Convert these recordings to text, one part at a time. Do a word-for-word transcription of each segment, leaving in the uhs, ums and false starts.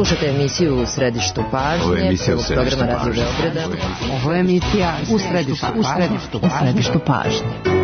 Slušajte emisiju U središtu pažnje prvog programa Radio Beograda. Ovo je emisija U središtu, u središtu, u središtu pažnje.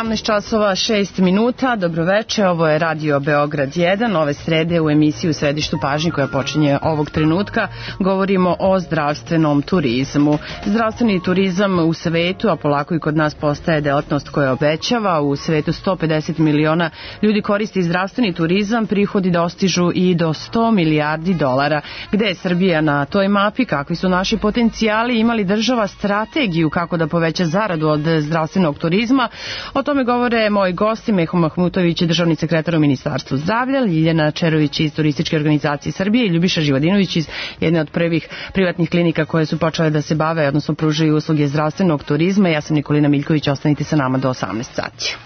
sedamnaest časova šest minuta, dobroveče, ovo je Radio Beograd jedan, ove srede u emisiji U središtu pažnje koja počinje ovog trenutka, govorimo o zdravstvenom turizmu. Zdravstveni turizam u svetu, a polako i kod nas postaje delatnost koja obećava, u svetu sto pedeset miliona ljudi koristi zdravstveni turizam, prihodi dostižu i do sto milijardi dolara. Gde je Srbija na toj mapi, kakvi su naši potencijali, imali država strategiju kako da poveća zaradu od zdravstvenog turizma? O tome govore moji gosti, Meho Mahmutović, državni sekretar u Ministarstvu zdravlja, Ljiljana Čerović iz Turističke organizacije Srbije i Ljubiša Živodinović iz jedne od prvih privatnih klinika koje su počele da se bave, odnosno pružaju usluge zdravstvenog turizma. Ja sam Nikolina Miljković, ostanite sa nama do osamnaest sati.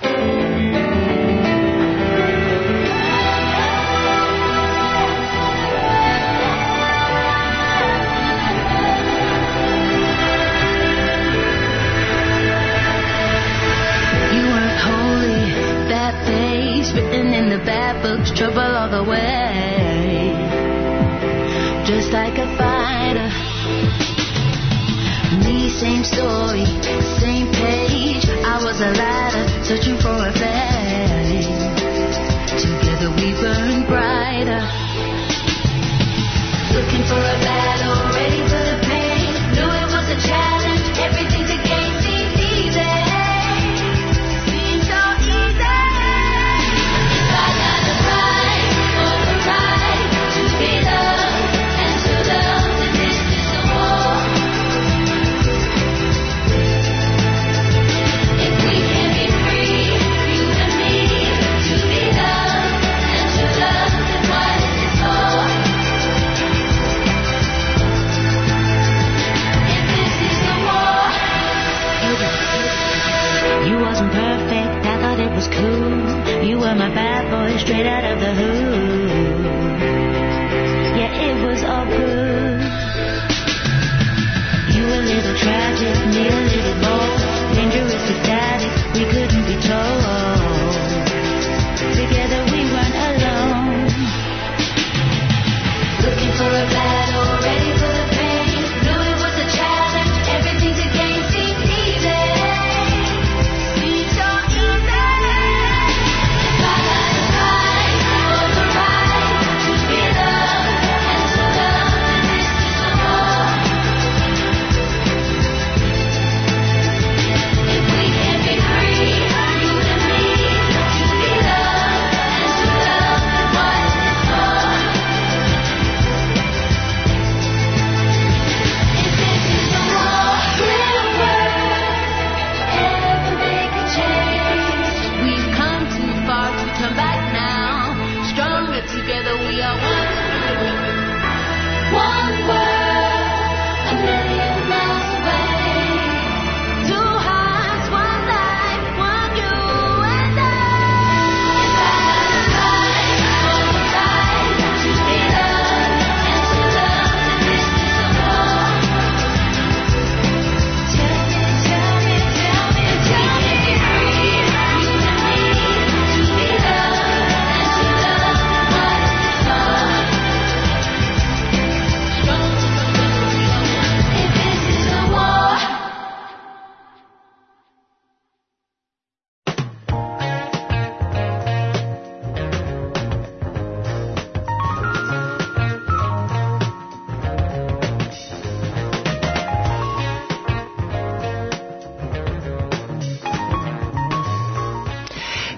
Written in the bad books, trouble all the way. Just like a fighter. Me, same story, same page. I was a ladder, searching for a flame. Together we burn brighter. Looking for a battle, ready for the pain. Knew it was a challenge, everything to gain seemed easy. You were my bad boy, straight out of the hood. Yeah, it was all good. You a little tragic, me a little bold. Dangerous to daddy, we couldn't be told. Together we weren't alone. Looking for a battle, ready for the pain. Knew it was a challenge, everything to gain seemed easy.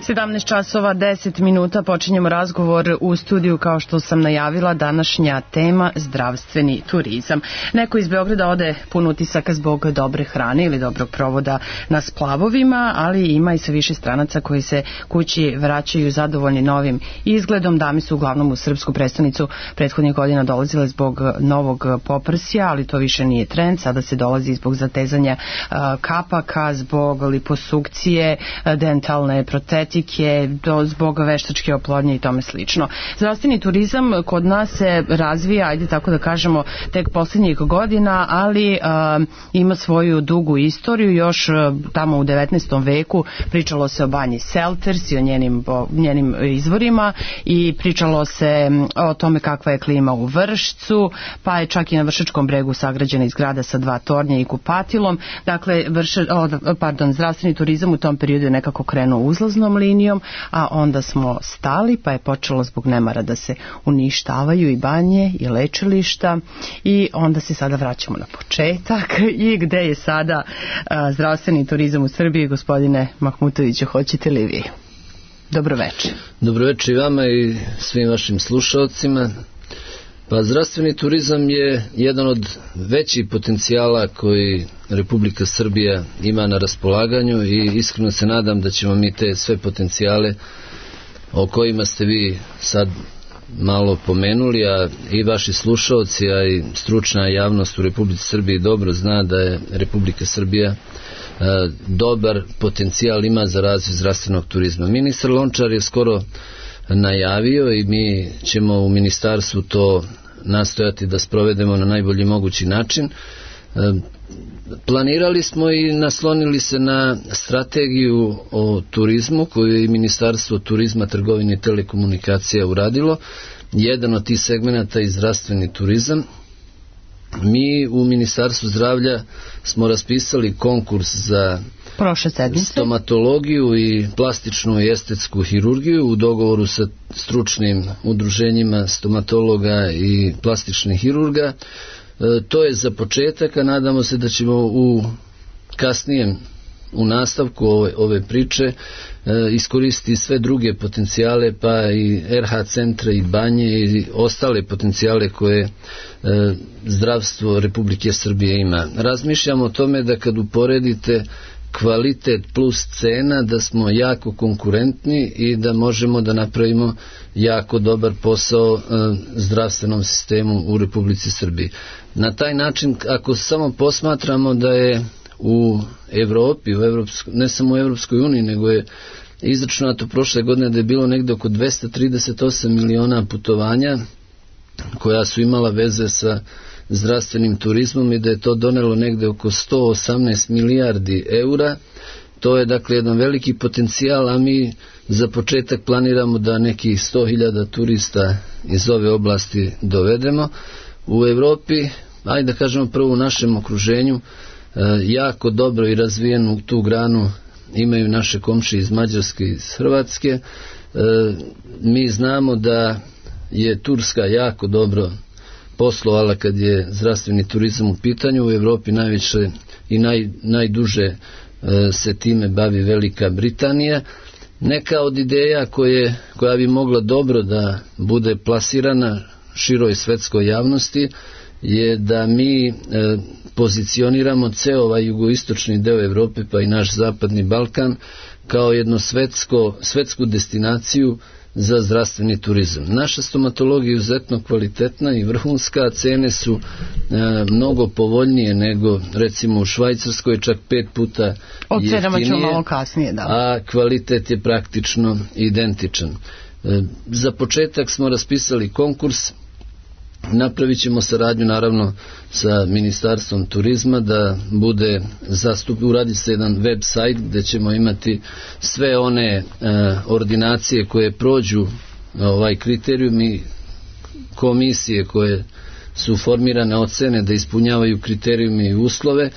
sedamnaest časova deset minuta počinjemo razgovor u studiju, kao što sam najavila, današnja tema zdravstveni turizam. Neko iz Beograda ode pun utisaka zbog dobre hrane ili dobrog provoda na splavovima, ali ima i sve više stranaca koji se kući vraćaju zadovoljni novim izgledom. Dame su uglavnom u srpsku prestonicu prethodnih godina dolazile zbog novog poprsja, ali to više nije trend. Sada se dolazi zbog zatezanja kapaka, zbog liposukcije, dentalne protetike, do, zbog veštačke oplodnje i tome slično. Zdravstveni turizam kod nas se razvija, ajde tako da kažemo, tek posljednjih godina, ali a, ima svoju dugu istoriju. Još a, tamo u devetnaestom veku pričalo se o banji Selters i o njenim, o njenim izvorima i pričalo se o tome kakva je klima u Vršcu, pa je čak i na Vršačkom bregu sagrađena izgrada sa dva tornja i kupatilom. Dakle, vrše, o, pardon, zdravstveni turizam u tom periodu je nekako krenuo uzlaznom linijom, a onda smo stali, pa je počelo zbog nemara da se uništavaju i banje i lečilišta i onda se sada vraćamo na početak. I gde je sada a, zdravstveni turizam u Srbiji, gospodine Mahmutoviću, hoćete li vi? Dobroveče. Dobroveče i vama i svim vašim slušalcima. Pa zdravstveni turizam je jedan od većih potencijala koji Republika Srbija ima na raspolaganju i iskreno se nadam da ćemo mi te sve potencijale o kojima ste vi sad malo pomenuli, a i vaši slušalci, a i stručna javnost u Republici Srbiji dobro zna da je Republika Srbija a, dobar potencijal ima za razvoj zdravstvenog turizma. Ministar Lončar je skoro najavio i mi ćemo u ministarstvu to nastojati da sprovedemo na najbolji mogući način. Planirali smo i naslonili se na strategiju o turizmu koju je i Ministarstvo turizma, trgovine i telekomunikacija uradilo. Jedan od tih segmenata je zdravstveni turizam. Mi u Ministarstvu zdravlja smo raspisali konkurs za stomatologiju i plastičnu i estetsku hirurgiju u dogovoru sa stručnim udruženjima stomatologa i plastičnih hirurga. E, to je za početak, a nadamo se da ćemo u kasnijem u nastavku ove, ove priče e, iskoristiti sve druge potencijale, pa i er ha centre i banje i ostale potencijale koje e, zdravstvo Republike Srbije ima. Razmišljamo o tome da kad uporedite kvalitet plus cena, da smo jako konkurentni i da možemo da napravimo jako dobar posao e, zdravstvenom sistemu u Republici Srbiji. Na taj način, ako samo posmatramo da je u Evropi, u Evropsko, ne samo u Evropskoj uniji, nego je izračunato prošle godine da je bilo negde oko dvesta trideset osam miliona putovanja koja su imala veze sa zdravstvenim turizmom i da je to donelo negde oko sto osamnaest milijardi eura. To je dakle jedan veliki potencijal, a mi za početak planiramo da nekih sto hiljada turista iz ove oblasti dovedemo. U Evropi, ajde da kažemo prvo u našem okruženju, jako dobro i razvijenu tu granu imaju naše komšije iz Mađarske i iz Hrvatske. Mi znamo da je Turska jako dobro poslovala kad je zdravstveni turizam u pitanju. U Evropi najviše i naj, najduže se time bavi Velika Britanija. Neka od ideja koje, koja bi mogla dobro da bude plasirana široj svetskoj javnosti je da mi e, pozicioniramo ceo ovaj jugoistočni deo Evrope, pa i naš zapadni Balkan, kao jednu svetsko, svetsku destinaciju za zdravstveni turizam. Naša stomatologija je izuzetno kvalitetna i vrhunska, cene su e, mnogo povoljnije nego recimo u Švajcarskoj, čak pet puta jeftinije. O cenama ćemo malo kasnije, da. A kvalitet je praktično identičan. E, za početak smo raspisali konkurs. Napravit ćemo saradnju naravno sa Ministarstvom turizma da bude zastup, uradi se jedan web sajt gde ćemo imati sve one e, ordinacije koje prođu ovaj kriterijum i komisije koje su formirane ocene da ispunjavaju kriterijume i uslove.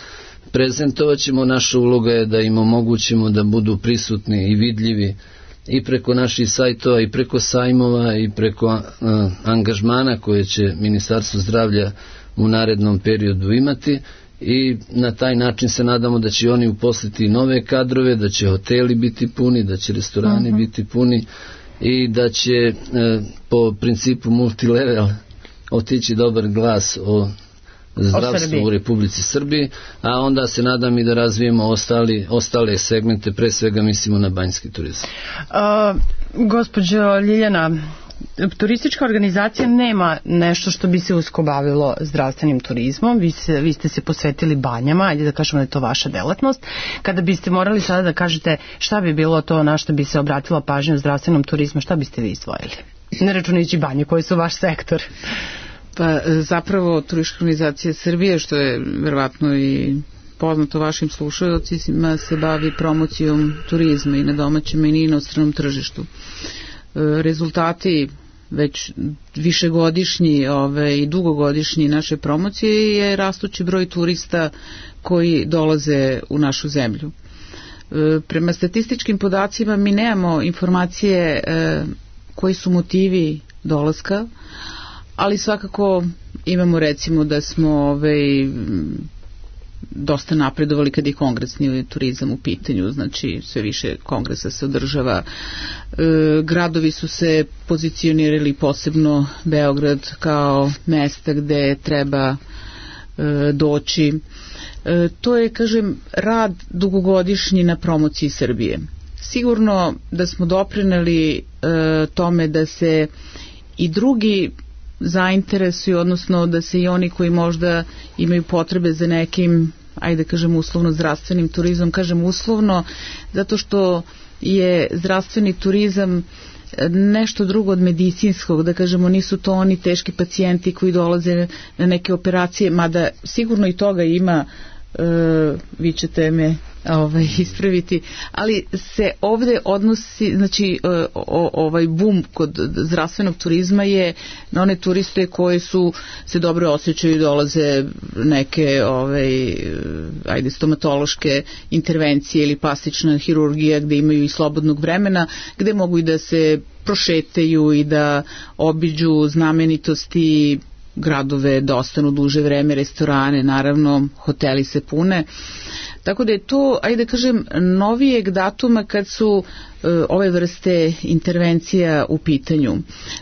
Prezentovat ćemo, naša uloga je da im omogućimo da budu prisutni i vidljivi i preko naših sajtova i preko sajmova i preko uh, angažmana koje će Ministarstvo zdravlja u narednom periodu imati i na taj način se nadamo da će oni uposliti nove kadrove, da će hoteli biti puni, da će restorani uh-huh. biti puni i da će e, po principu multilevel otići dobar glas o zdravstvu u Republici Srbiji, a onda se nadam i da razvijemo ostali, ostale segmente, pre svega mislimo na banjski turizam. Uh, gospođo Ljiljana, turistička organizacija nema nešto što bi se usko bavilo zdravstvenim turizmom. Vi, se, vi ste se posvetili banjama, ajde da kažemo da je to vaša delatnost. Kada biste morali sada da kažete šta bi bilo to na što bi se obratila pažnja u zdravstvenom turizmu, šta biste vi izdvojili? Ne računajući banje, koji su vaš sektor? Pa zapravo Turistička organizacija Srbije, što je verovatno i poznato vašim slušaocima, se bavi promocijom turizma i na domaćem i na inostranom tržištu. Rezultati već višegodišnji ove, i dugogodišnji naše promocije je rastući broj turista koji dolaze u našu zemlju. Prema statističkim podacima mi nemamo informacije koji su motivi dolaska, ali svakako imamo recimo da smo ovaj, dosta napredovali kad je kongresni turizam u pitanju, znači sve više kongresa se održava. E, gradovi su se pozicionirali, posebno Beograd, kao mesta gde treba e, doći. E, to je, kažem, rad dugogodišnji na promociji Srbije. Sigurno da smo doprineli e, tome da se i drugi zainteresuju, odnosno da se i oni koji možda imaju potrebe za nekim, ajde kažem uslovno zdravstvenim turizmom, kažem uslovno zato što je zdravstveni turizam nešto drugo od medicinskog, da kažemo nisu to oni teški pacijenti koji dolaze na neke operacije, mada sigurno i toga ima, e, vi ćete me ovaj, ispraviti, ali se ovde odnosi, znači o, ovaj boom kod zdravstvenog turizma je na one turiste koji su se dobro osjećaju i dolaze neke ovaj, ajde stomatološke intervencije ili plastična hirurgija gde imaju i slobodnog vremena, gde mogu i da se prošetaju i da obiđu znamenitosti, gradove, da ostanu duže vreme, restorane, naravno hoteli se pune. Tako da je to, ajde da kažem, novijeg datuma kad su e, ove vrste intervencija u pitanju.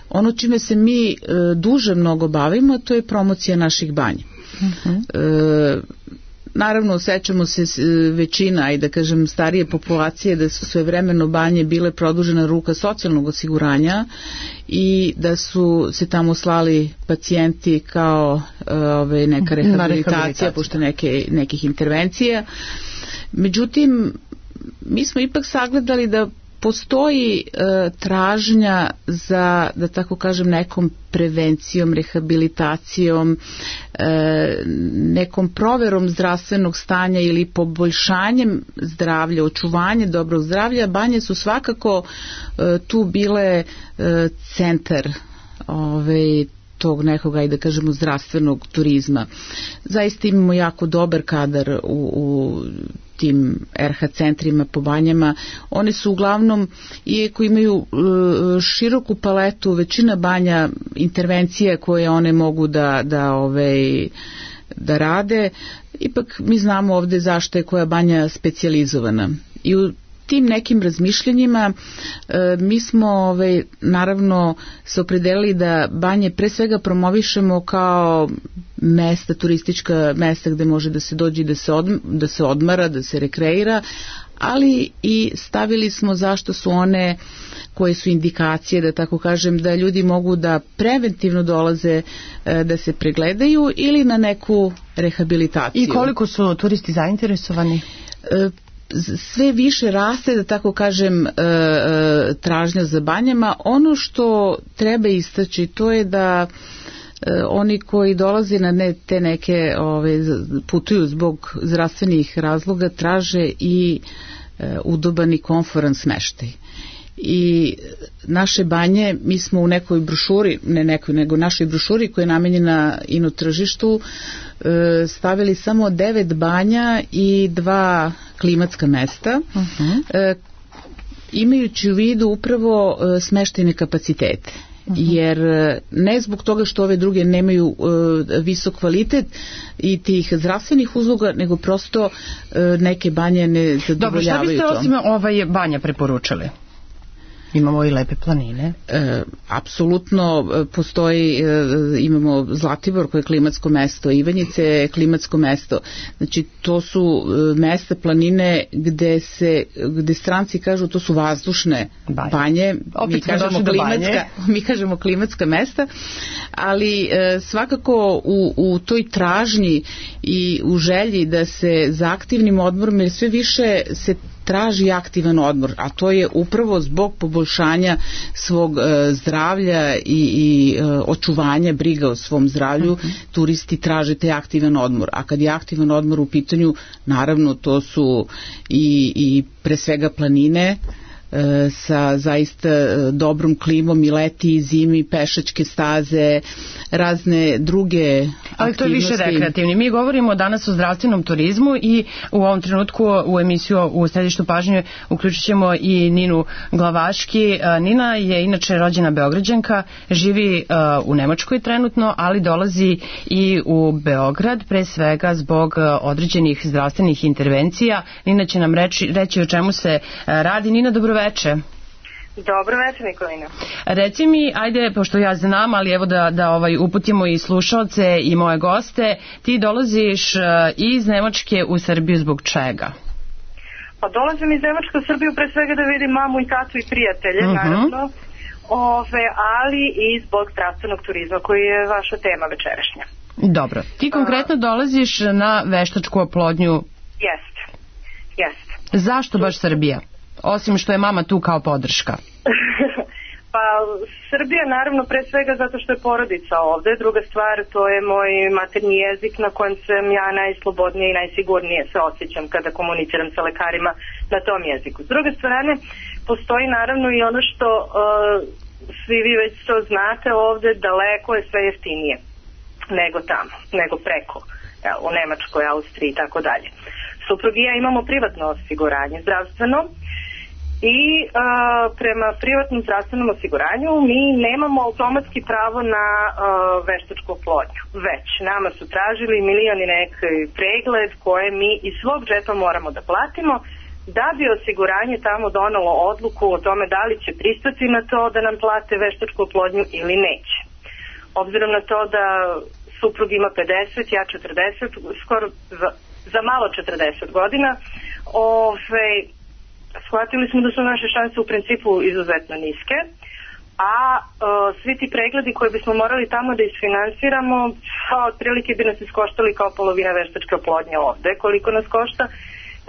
Ono čime se mi e, duže mnogo bavimo, to je promocija naših banja. Uh-huh. E, naravno, sećamo se većina, ajde da kažem, starije populacije da su svevremeno banje bile produžena ruka socijalnog osiguranja i da su se tamo slali pacijenti kao ove, neka rehabilitacija pošto neke, nekih intervencija. Međutim, mi smo ipak sagledali da postoji e, tražnja za, da tako kažem, nekom prevencijom, rehabilitacijom, e, nekom proverom zdravstvenog stanja ili poboljšanjem zdravlja, očuvanje dobrog zdravlja. Banje su svakako e, tu bile e, centar ove, tog nekog, ajde da kažemo, zdravstvenog turizma. Zaista imamo jako dobar kadar u, u tim er ha centrima po banjama. One su uglavnom, iako imaju e, široku paletu, većina banja, intervencije koje one mogu da, da, ovaj, da rade, ipak mi znamo ovde zašto je koja banja specijalizovana. I u tim nekim razmišljanjima e, mi smo ovaj, naravno se opredelili da banje pre svega promovišemo kao mesta, turistička mesta gde može da se dođe da se, odm, da se odmara, da se rekreira, ali i stavili smo zašto su one koje su indikacije, da tako kažem, da ljudi mogu da preventivno dolaze e, da se pregledaju ili na neku rehabilitaciju. I koliko su turisti zainteresovani? E, sve više raste, da tako kažem, tražnja za banjama. Ono što treba istaći, to je da oni koji dolaze na ne, te neke ove, putuju zbog zdravstvenih razloga, traže i udoban i komforan smeštaj. I naše banje, mi smo u nekoj brošuri, ne nekoj, nego našoj brošuri koja je namenjena ino tržištu, stavili samo devet banja i dva klimatska mesta, uh-huh. imajući u vidu upravo smeštajne kapacitete. jer ne zbog toga što ove druge nemaju uh, visok kvalitet i tih zdravstvenih usluga, nego prosto uh, neke banje ne zadovoljavaju to. Dobro, šta biste osim ovaj banja preporučili? Imamo i lepe planine. E, apsolutno postoji, e, imamo Zlatibor koje je klimatsko mesto, Ivanjice je klimatsko mesto. Znači to su e, mesta, planine gde se, gde stranci kažu to su vazdušne banje. banje. Mi kažemo klimatska, mi kažemo klimatska mesta, ali e, svakako u, u toj tražnji i u želji da se za aktivnim odmorom, jer sve više se traži aktivan odmor, a to je upravo zbog poboljšanja svog e, zdravlja i, i e, očuvanja briga o svom zdravlju, uh-huh. turisti traže taj aktivan odmor, a kad je aktivan odmor u pitanju, naravno to su i, i pre svega planine, sa zaista dobrom klimom i leti i zimi, pešačke staze, razne druge aktivnosti. Ali to je više rekreativni. Mi govorimo danas o zdravstvenom turizmu i u ovom trenutku u emisiju u središtu pažnje uključit ćemo i Ninu Glavaški. Nina je inače rođena Beograđanka, živi u Nemačkoj trenutno, ali dolazi i u Beograd, pre svega zbog određenih zdravstvenih intervencija. Nina će nam reći, reći o čemu se radi. Nina, dobro veče. Dobro veče, Nikolina. Reci mi, ajde, pošto ja znam, ali evo da, da ovaj, uputimo i slušalce i moje goste, ti dolaziš uh, iz Nemačke u Srbiju zbog čega? Pa dolazim iz Nemačke u Srbiju pre svega da vidim mamu i tatu i prijatelje, uh-huh. naravno, ove, ali i zbog zdravstvenog turizma koji je vaša tema večerašnja. Dobro. Ti konkretno dolaziš na veštačku oplodnju? Jeste, jeste. Zašto baš Srbija? Osim što je mama tu kao podrška. Pa Srbija naravno pre svega zato što je porodica ovde. Druga stvar, to je moj maternji jezik na kojem sam ja najslobodnije i najsigurnije se osjećam kada komuniciram sa lekarima na tom jeziku. S druge strane, postoji naravno i ono što uh, svi vi već to znate ovde, daleko je sve jeftinije nego tamo, nego preko, ja, u Nemačkoj, Austriji i tako dalje. Suprug i ja imamo privatno osiguranje zdravstveno, i uh, prema privatnom zdravstvenom osiguranju mi nemamo automatski pravo na uh, veštačku oplodnju. Već nama su tražili milion i neki pregled koje mi iz svog džepa moramo da platimo da bi osiguranje tamo donalo odluku o tome da li će pristati na to da nam plate veštačku oplodnju ili neće. Obzirom na to da suprug ima pedeset, ja četrdeset, skoro za, za malo četrdeset godina, ove... shvatili smo da su naše šanse u principu izuzetno niske, a uh, svi ti pregledi koje bismo morali tamo da isfinansiramo, a otprilike bi nas iskoštali kao polovina veštačke oplodnje ovde. Koliko nas košta?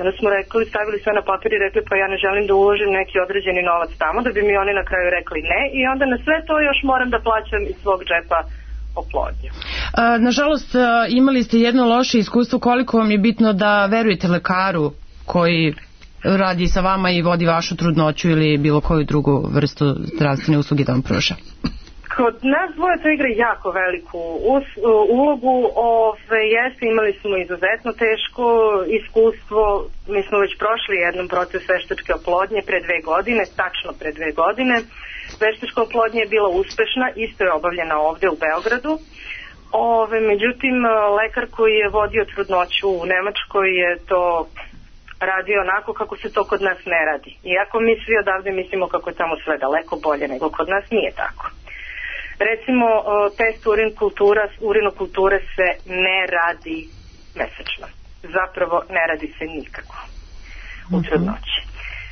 Onda smo rekli, stavili sve na papir i rekli pa ja ne želim da uložim neki određeni novac tamo, da bi mi oni na kraju rekli ne, i onda na sve to još moram da plaćam iz svog džepa oplodnju. A, nažalost, imali ste jedno loše iskustvo. Koliko vam je bitno da verujete lekaru koji radi sa vama i vodi vašu trudnoću ili bilo koju drugu vrstu zdravstvene usluge da vam pruža? Kod nas dvoje to igra jako veliku us, ulogu. Ove, jeste, imali smo izuzetno teško iskustvo. Mi smo već prošli jednom proces veštačke oplodnje pre dve godine, tačno pre dve godine. Veštačka oplodnja je bila uspešna, isto je obavljena ovde u Beogradu. Ove, međutim, lekar koji je vodio trudnoću u Nemačkoj je to radi onako kako se to kod nas ne radi. Iako mi svi odavde mislimo kako je tamo sve daleko bolje nego kod nas, nije tako. Recimo, test urin kultura, urinokulture se ne radi mesečno. Zapravo ne radi se nikako u trudnoći.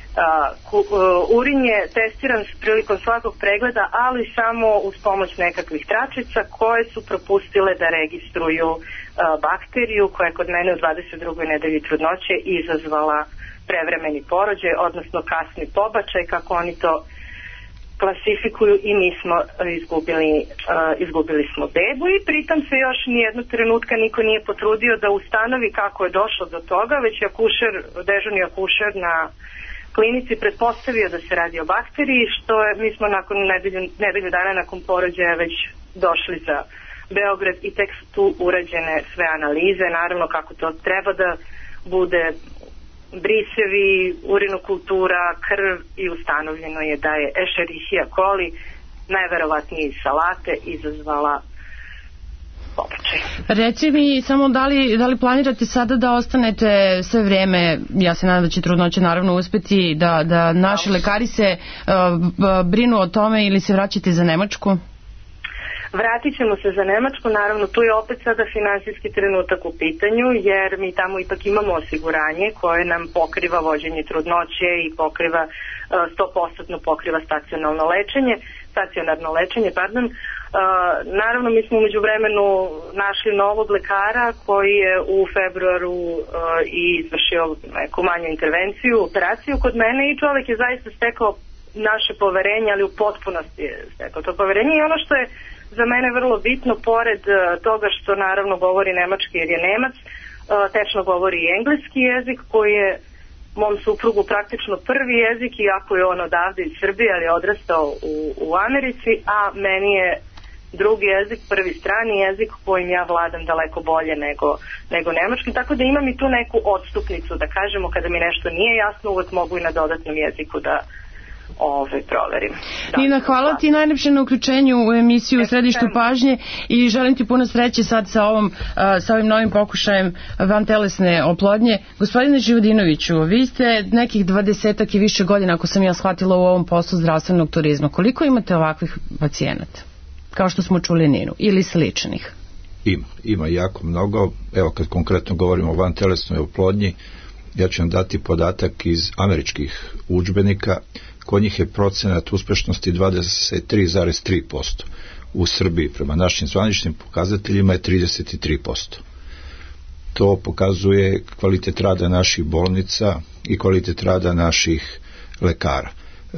Uh, urin je testiran prilikom svakog pregleda, ali samo uz pomoć nekakvih tračica koje su propustile da registruju uh, bakteriju koja je kod mene u dvadeset drugoj nedelji trudnoće izazvala prevremeni porođaj, odnosno kasni pobačaj, kako oni to klasifikuju, i mi smo izgubili, uh, izgubili smo bebu, i pritom se još nijednog trenutka niko nije potrudio da ustanovi kako je došlo do toga, već je akušer, dežurni akušer na klinici pretpostavio da se radi o bakteriji, što je, mi smo nakon nedelju, nedelju dana nakon porođaja već došli za Beograd i tek su tu urađene sve analize, naravno kako to treba da bude, brisevi, urinokultura, krv, i ustanovljeno je da je Escherichia coli, najverovatnije iz salate izazvala pobačaj. Reci mi samo da li, da li planirate sada da ostanete sve vreme, ja se nadam da će trudnoće naravno uspeti, da, da naši lekari se uh, brinu o tome ili se vraćate za Nemačku? Vratit ćemo se za Nemačku, naravno tu je opet sada finansijski trenutak u pitanju, jer mi tamo ipak imamo osiguranje koje nam pokriva vođenje trudnoće i pokriva sto posto pokriva stacionarno lečenje, stacionarno lečenje, pardon. Uh, naravno mi smo umeđu vremenu našli novog lekara koji je u februaru uh, i izvršio neku manju intervenciju, operaciju kod mene i čovjek je zaista stekao naše poverenje, ali u potpunosti je stekao to poverenje i ono što je za mene vrlo bitno, pored uh, toga što naravno govori nemački jer je Nemac, uh, tečno govori i engleski jezik koji je mom suprugu praktično prvi jezik, iako je on odavde iz Srbije, ali je odrastao u, u Americi, a meni je drugi jezik, prvi strani jezik kojim ja vladam daleko bolje nego, nego nemački, tako da imam i tu neku odstupnicu, da kažemo, kada mi nešto nije jasno, uvek mogu i na dodatnom jeziku da Ove, proverim. Da, Nina, hvala ti najlepše na uključenju u emisiju u Središtu pažnje i želim ti puno sreće sad sa, ovom, sa ovim novim pokušajem vantelesne oplodnje. Gospodine Živodinoviću, vi ste nekih dvadesetak i više godina, ako sam ja shvatila, u ovom poslu zdravstvenog turizma. Koliko imate ovakvih pacijenata? Kao što smo čuli Ninu, ili sličnih? Ima, ima jako mnogo. Evo kad konkretno govorimo o vantelesnoj oplodnji, ja ću vam dati podatak iz američkih udžbenika. Kod njih je procenat uspešnosti dvadeset tri zarez tri posto. U Srbiji prema našim zvaničnim pokazateljima je trideset tri posto. To pokazuje kvalitet rada naših bolnica i kvalitet rada naših lekara. E,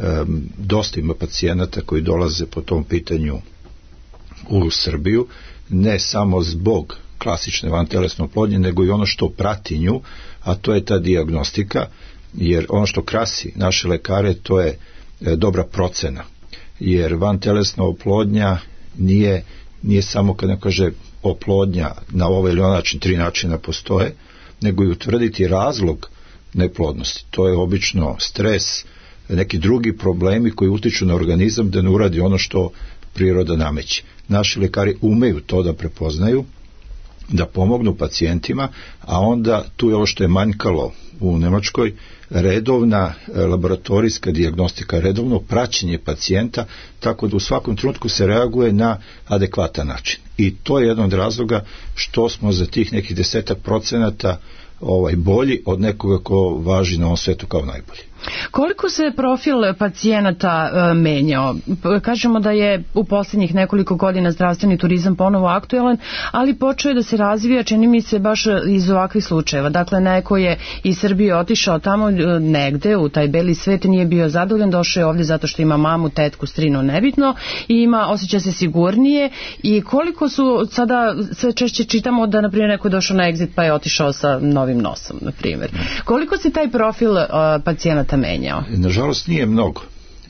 dosta ima pacijenata koji dolaze po tom pitanju u Srbiju, ne samo zbog klasične vantelesne oplodnje, nego i ono što prati nju, a to je ta dijagnostika, jer ono što krasi naše lekare, to je e, dobra procena, jer vantelesna oplodnja nije, nije samo, kad ne kaže oplodnja na ovaj ili onaj način, tri načina postoje, nego i utvrditi razlog neplodnosti. To je obično stres, neki drugi problemi koji utiču na organizam da ne uradi ono što priroda nameće. Naši lekari umeju to da prepoznaju, da pomognu pacijentima, a onda tu je ovo što je manjkalo u Nemačkoj, redovna laboratorijska dijagnostika, redovno praćenje pacijenta, tako da u svakom trenutku se reaguje na adekvatan način. I to je jedan od razloga što smo za tih nekih desetak procenata ovaj, bolji od nekoga ko važi na ovom svetu kao najbolji. Koliko se profil pacijenata e, menjao? Kažemo da je u posljednjih nekoliko godina zdravstveni turizam ponovo aktualan, ali počeo je da se razvija, čini mi se, baš iz ovakvih slučajeva. Dakle, neko je iz Srbije otišao tamo negde u taj beli svet, nije bio zadovoljan, došao je ovdje zato što ima mamu, tetku, strinu, nebitno, i ima, osjeća se sigurnije. I koliko su sada, sve češće čitamo da, na primjer, neko je došao na exit pa je otišao sa novim nosom, na primjer. Koliko se taj profil uh, pacijenata menjao? Nažalost nije mnogo.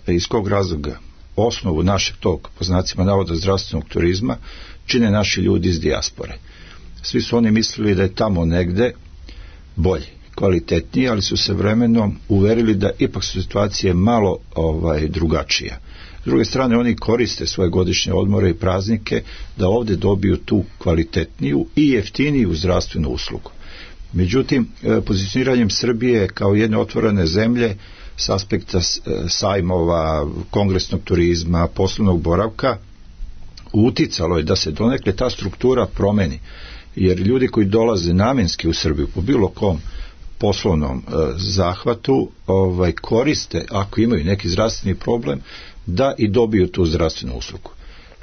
Iz kog razloga? Osnovu našeg tog, po znacima navoda, zdravstvenog turizma čine naši ljudi iz dijaspore. Svi su oni mislili da je tamo negde bolje, kvalitetnije, ali su se vremenom uverili da ipak su situacije malo ovaj, drugačija. S druge strane, oni koriste svoje godišnje odmore i praznike da ovde dobiju tu kvalitetniju i jeftiniju zdravstvenu uslugu. Međutim, pozicioniranjem Srbije kao jedne otvorene zemlje s aspekta sajmova, kongresnog turizma, poslovnog boravka, uticalo je da se donekle ta struktura promeni. Jer ljudi koji dolaze namenski u Srbiju po bilo kom poslovnom e, zahvatu ovaj, koriste, ako imaju neki zdravstveni problem, da i dobiju tu zdravstvenu uslugu.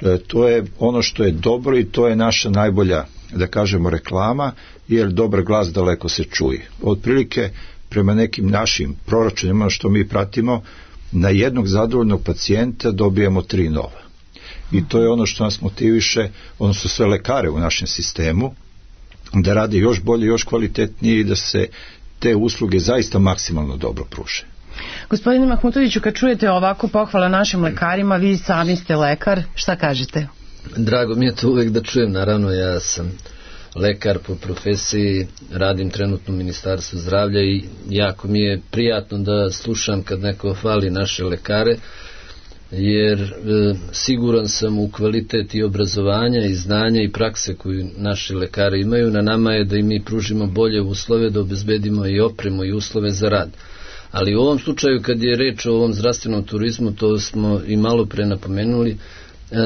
E, to je ono što je dobro i to je naša najbolja, da kažemo, reklama, jer dobar glas daleko se čuje. Otprilike, prema nekim našim proračunima što mi pratimo, na jednog zadovoljnog pacijenta dobijemo tri nova. I to je ono što nas motiviše, odnosno sve lekare u našem sistemu, da rade još bolje, još kvalitetnije i da se te usluge zaista maksimalno dobro pruže. Gospodine Mahmutoviću, kad čujete ovako pohvala našim lekarima, vi sami ste lekar, šta kažete? Drago mi je to uvek da čujem, naravno ja sam lekar po profesiji, radim trenutno u Ministarstvu zdravlja i jako mi je prijatno da slušam kad neko hvali naše lekare. jer e, siguran sam u kvalitet i obrazovanja i znanja i prakse koju naši lekari imaju. Na nama je da im mi pružimo bolje uslove, da obezbedimo i opremu i uslove za rad. Ali u ovom slučaju, kad je reč o ovom zdravstvenom turizmu, to smo i malo pre napomenuli, e,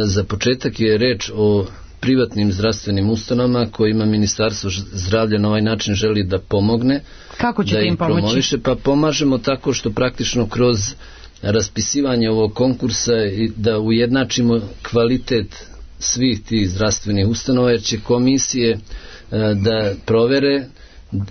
za početak je reč o privatnim zdravstvenim ustanovama kojima Ministarstvo zdravlja na ovaj način želi da pomogne. Kako ćete da im pomoći? Promoviše, pa pomažemo tako što praktično kroz raspisivanje ovog konkursa i da ujednačimo kvalitet svih tih zdravstvenih ustanova, jer će komisije e, da provere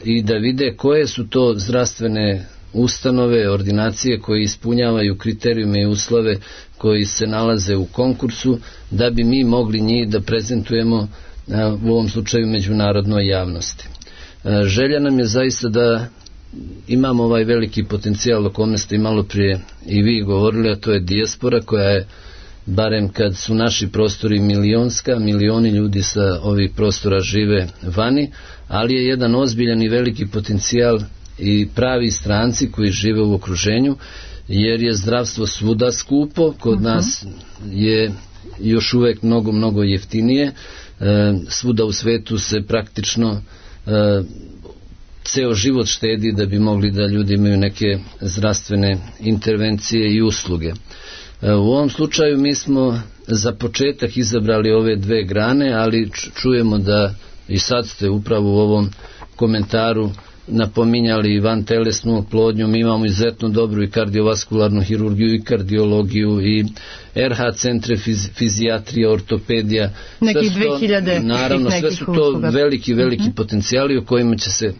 i da vide koje su to zdravstvene ustanove, ordinacije koje ispunjavaju kriterijume i uslove koji se nalaze u konkursu, da bi mi mogli njih da prezentujemo a, u ovom slučaju međunarodnoj javnosti. A, želja nam je zaista da imamo ovaj veliki potencijal o kome ste i malo prije i vi govorili, a to je dijaspora koja je, barem kad su naši prostori milionska, milioni ljudi sa ovih prostora žive vani, ali je jedan ozbiljan i veliki potencijal i pravi stranci koji žive u okruženju, jer je zdravstvo svuda skupo, kod uh-huh. nas je još uvek mnogo, mnogo jeftinije, e, svuda u svetu se praktično e, ceo život štedi da bi mogli da ljudi imaju neke zdravstvene intervencije i usluge. E, u ovom slučaju mi smo za početak izabrali ove dve grane, ali čujemo da i sad ste upravo u ovom komentaru napominjali vantelesnu oplodnju. Mi imamo izuzetno dobru i kardiovaskularnu hirurgiju i kardiologiju i er ha centre, fiz, fizijatrija, ortopedija. Nekih dve hiljade. Naravno, sve su to usluga. veliki, veliki uh-huh. potencijali o kojima će se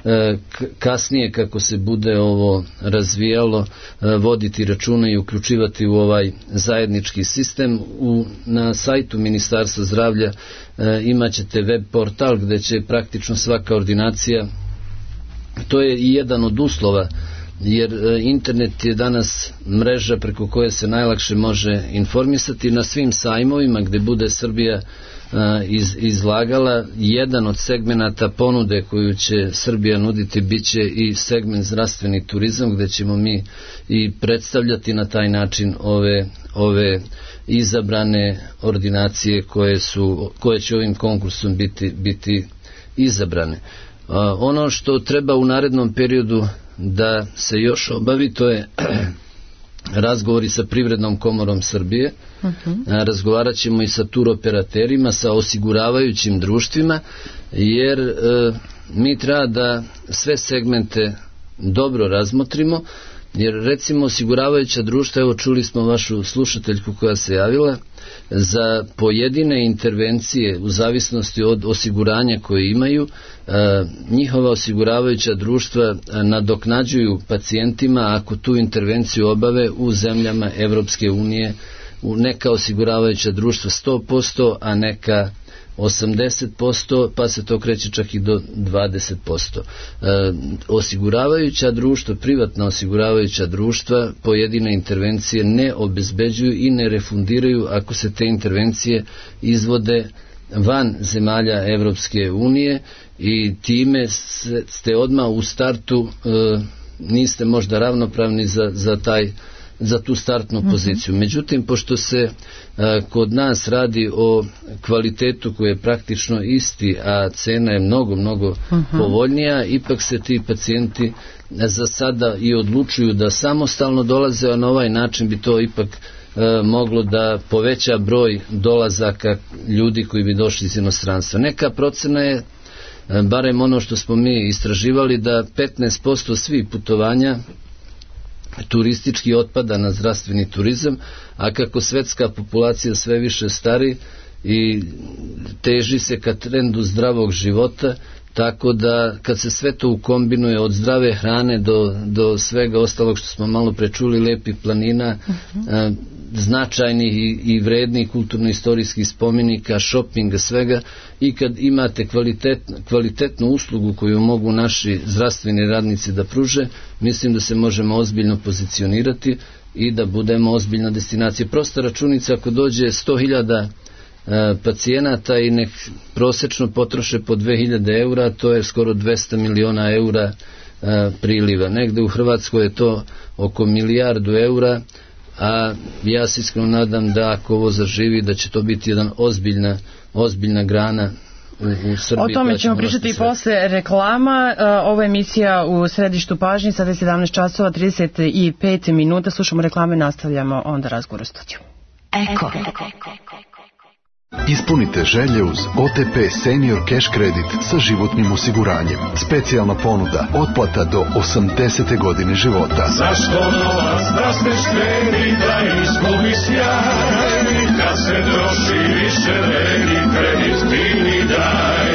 e, kasnije, kako se bude ovo razvijalo, e, voditi računa i uključivati u ovaj zajednički sistem. U, na sajtu Ministarstva zdravlja e, imat ćete web portal gde će praktično svaka ordinacija, to je i jedan od uslova, jer internet je danas mreža preko koje se najlakše može informisati. Na svim sajmovima gde bude Srbija iz, izlagala, jedan od segmenata ponude koju će Srbija nuditi biće i segment zdravstveni turizam, gde ćemo mi i predstavljati na taj način ove, ove izabrane ordinacije koje, su, koje će ovim konkursom biti, biti izabrane. Ono što treba u narednom periodu da se još obavi, to je razgovori sa Privrednom komorom Srbije. Uh-huh. Razgovarat ćemo i sa turoperaterima, sa osiguravajućim društvima, jer e, mi treba da sve segmente dobro razmotrimo, jer recimo osiguravajuća društva, evo čuli smo vašu slušateljku koja se javila, za pojedine intervencije u zavisnosti od osiguranja koje imaju, njihova osiguravajuća društva nadoknađuju pacijentima ako tu intervenciju obave u zemljama Evropske unije, neka osiguravajuća društva sto posto, a neka osamdeset posto, pa se to kreće čak i do dvadeset posto. E, osiguravajuća društva, privatna osiguravajuća društva pojedine intervencije ne obezbeđuju i ne refundiraju ako se te intervencije izvode van zemalja Evropske unije, i time ste odmah u startu e, niste možda ravnopravni za, za taj za tu startnu poziciju. Međutim, pošto se a, kod nas radi o kvalitetu koji je praktično isti, a cena je mnogo, mnogo uh-huh. povoljnija, ipak se ti pacijenti za sada i odlučuju da samostalno dolaze, a na ovaj način bi to ipak a, moglo da poveća broj dolazaka ljudi koji bi došli iz inostranstva. Neka procena je, a, barem ono što smo mi istraživali, da petnaest posto svih putovanja turistički otpada na zdravstveni turizam, a kako svetska populacija sve više stari i teži se ka trendu zdravog života, tako da kad se sve to ukombinuje od zdrave hrane do, do svega ostalog što smo malo prečuli, lepih planina, uh-huh. a, značajnih i, i vrednih kulturno-istorijskih spomenika, šopinga, svega, i kad imate kvalitet, kvalitetnu uslugu koju mogu naši zdravstveni radnici da pruže, mislim da se možemo ozbiljno pozicionirati i da budemo ozbiljna destinacija. Prosta računica, ako dođe sto hiljada pacijenata i nek prosečno potroše po dve hiljade eura, to je skoro dvesta miliona eura a, priliva. Negde u Hrvatskoj je to oko milijardu eura, a ja se iskreno nadam da ako ovo zaživi da će to biti jedan ozbiljna, ozbiljna grana u, u Srbiji. O tome ćemo pričati i posle reklama. Ovo je emisija u središtu pažnje, sada je sedamnaest časova trideset pet minuta, slušamo reklame i nastavljamo onda razgovor u studiju. Eko. Ispunite želje uz O T P Senior Cash Credit sa životnim osiguranjem. Specijalna ponuda, otplata do osamdesete godine života. Zašto novac da se štedi, da izgubi sjaj? Kad se troši više vredi, kredit ti mi daj.